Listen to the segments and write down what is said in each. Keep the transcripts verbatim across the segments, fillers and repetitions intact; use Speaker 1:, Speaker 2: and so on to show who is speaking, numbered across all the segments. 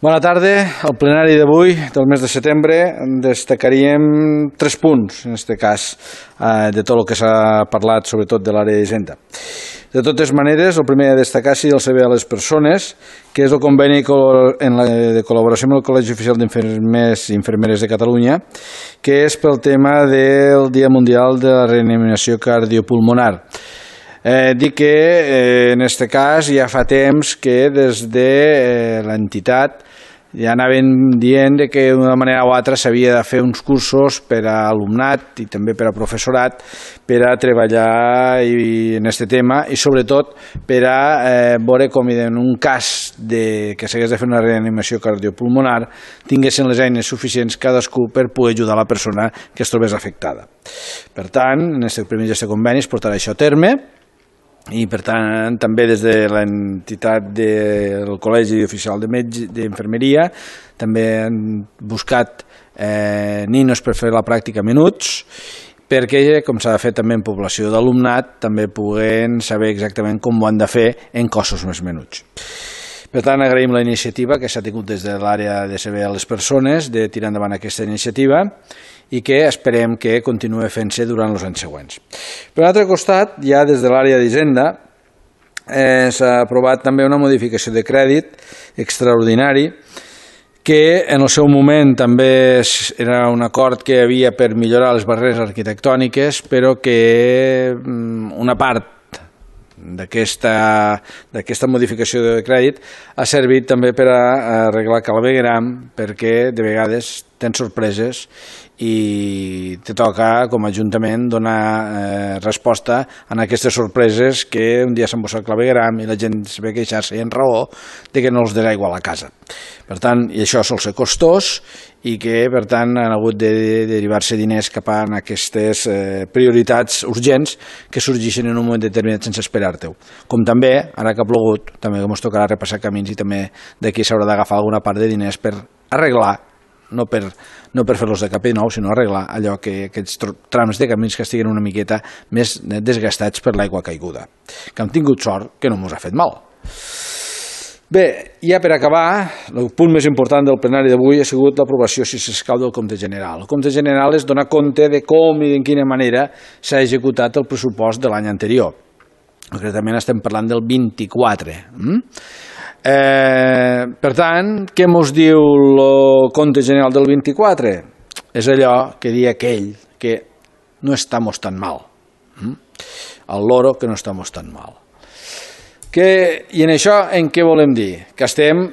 Speaker 1: Bona tarda. Al plenari d'avui, del mes de setembre, destacaríem tres punts, en aquest cas, de tot el que s'ha parlat, sobretot de l'àrea d'Hisenda. De totes maneres, el primer a destacar és el servei a les persones, que és el conveni de col·laboració amb el Col·legi Oficial d'Infermers i Infermeres de Catalunya, que és pel tema del Dia Mundial de la Reanimació Cardiopulmonar. Eh, dic que eh, en aquest cas ja fa temps que des de eh, l'entitat ja anaven dient que d'una manera o altra s'havia de fer uns cursos per a alumnat i també per a professorat per a treballar i, en aquest tema i sobretot per a eh, veure com en un cas de, que s'hagués de fer una reanimació cardiopulmonar tinguessin les eines suficients cadascú per poder ajudar la persona que es trobés afectada. Per tant, en aquest primer gest de conveni es portarà això a terme i per tant també des de l'entitat del Col·legi Oficial d'Infermeria també han buscat eh, ninos per fer la pràctica minuts perquè, com s'ha de fer també en població d'alumnat, també puguen saber exactament com ho han de fer en cossos més menuts. Per tant, agraïm la iniciativa que s'ha tingut des de l'àrea de servei a les persones de tirar endavant aquesta iniciativa i que esperem que continuï fent-se durant els anys següents. Per un altre costat, ja des de l'àrea d'Hisenda eh, s'ha aprovat també una modificació de crèdit extraordinari que en el seu moment també era un acord que hi havia per millorar les barreres arquitectòniques, però que una part d'aquesta modificació de crèdit ha servit també per a arreglar clavegueram perquè de vegades tens sorpreses i te toca com a Ajuntament donar eh, resposta a aquestes sorpreses que un dia s'embossa el clavegueram i la gent es ve queixar-se i en raó de que no els dirà igual a casa. Per tant, i això sol ser costós i que per tant han hagut de derivar-se diners cap a aquestes eh, prioritats urgents que sorgeixen en un moment determinat sense esperar-te-ho. Com també, ara que ha plogut, també ens tocarà repassar camins i també d'aquí s'haurà d'agafar alguna part de diners per arreglar no per, no per fer-los de cap i nou, sinó arreglar allò que aquests trams de camins que estiguin una miqueta més desgastats per l'aigua caiguda. Que hem tingut sort que no ens ha fet mal. Bé, ja per acabar, el punt més important del plenari d'avui ha sigut l'aprovació, si s'escau, del compte general. El compte general és donar compte de com i de quina manera s'ha executat el pressupost de l'any anterior. Concretament estem parlant del vint-i-quatre. Mm? Eh, per tant, què mos diu el compte general del vint-i-quatre? És allò que dia aquell que no estamos tan mal. Mm? El loro que no estamos tan mal. Que, I en això en què volem dir? Que estem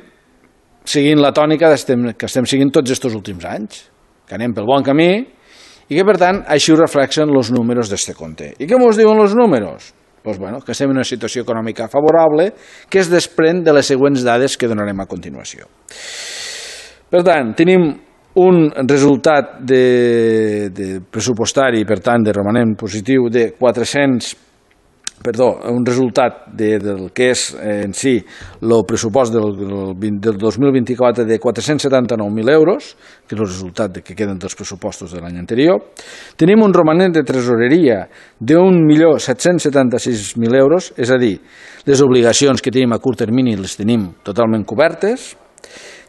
Speaker 1: seguint la tònica estem, que estem seguint tots aquests últims anys, que anem pel bon camí i que per tant així ho reflexen els números d'este compte. I què mos diuen els números? Pues bueno, que estem en una situació econòmica favorable que es desprèn de les següents dades que donarem a continuació. Per tant, tenim un resultat de, de pressupostari, per tant, de romanent positiu de quatre-cents perdó, un resultat de, del que és eh, en si el pressupost del, del, del dos mil vint-i-quatre de quatre-cents setanta-nou mil euros, que és el resultat que queden dels pressupostos de l'any anterior. Tenim un romanent de tresoreria d'un milió set-cents setanta-sis mil euros, és a dir, les obligacions que tenim a curt termini les tenim totalment cobertes.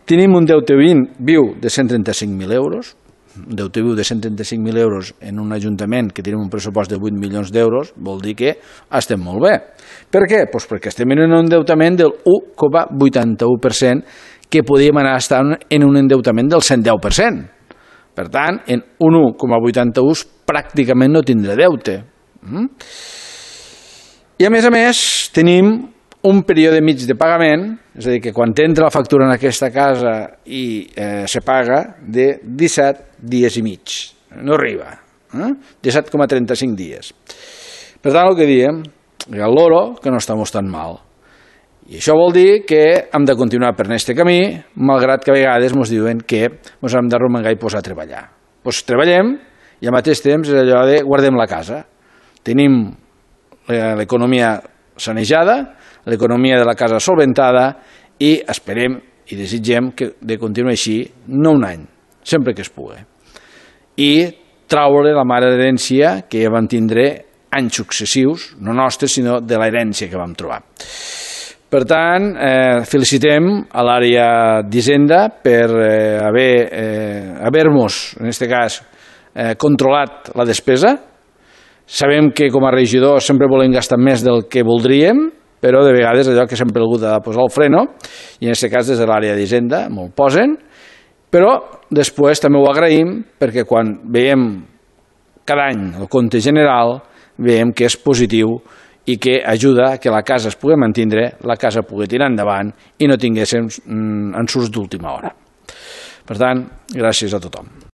Speaker 1: Tenim un deute viu de cent trenta-cinc mil euros, un deute viu de cent trenta-cinc mil euros en un ajuntament que tenim un pressupost de vuit milions d'euros, vol dir que estem molt bé. Per què? Pues perquè estem en un endeutament del u coma vuitanta-u per cent que podíem anar estant en un endeutament del cent deu per cent. Per tant, en un u coma vuitanta-u pràcticament no tindrà deute. I a més a més tenim un període mig de pagament, és a dir, que quan entra la factura en aquesta casa i eh, se paga de disset dies i mig. No arriba. Eh? disset coma trenta-cinc dies. Per tant, el que diem, que el loro, que no estem tan mal. I això vol dir que hem de continuar per aquest camí, malgrat que a vegades ens diuen que ens hem d'arromangar i posar a treballar. Doncs treballem i al mateix temps és allò de guardem la casa. Tenim l'economia sanejada, l'economia de la casa solventada i esperem i desitgem que de continuar així, no un any, sempre que es pugui. I traure la mare d'herència que vam tindre anys successius, no nostres, sinó de l'herència que vam trobar. Per tant, eh, felicitem a l'àrea d'Hisenda per eh, haver, eh, haver-nos, en aquest cas, eh, controlat la despesa. Sabem que com a regidor sempre volem gastar més del que voldríem, però de vegades allò que sempre he hagut de posar el freno, i en aquest cas des de l'àrea d'Hisenda m'ho posen, però després també ho agraïm perquè quan veiem cada any el compte general veiem que és positiu i que ajuda que la casa es pugui mantenir, la casa pugui tirar endavant i no tinguéssim ensurts d'última hora. Per tant, gràcies a tothom.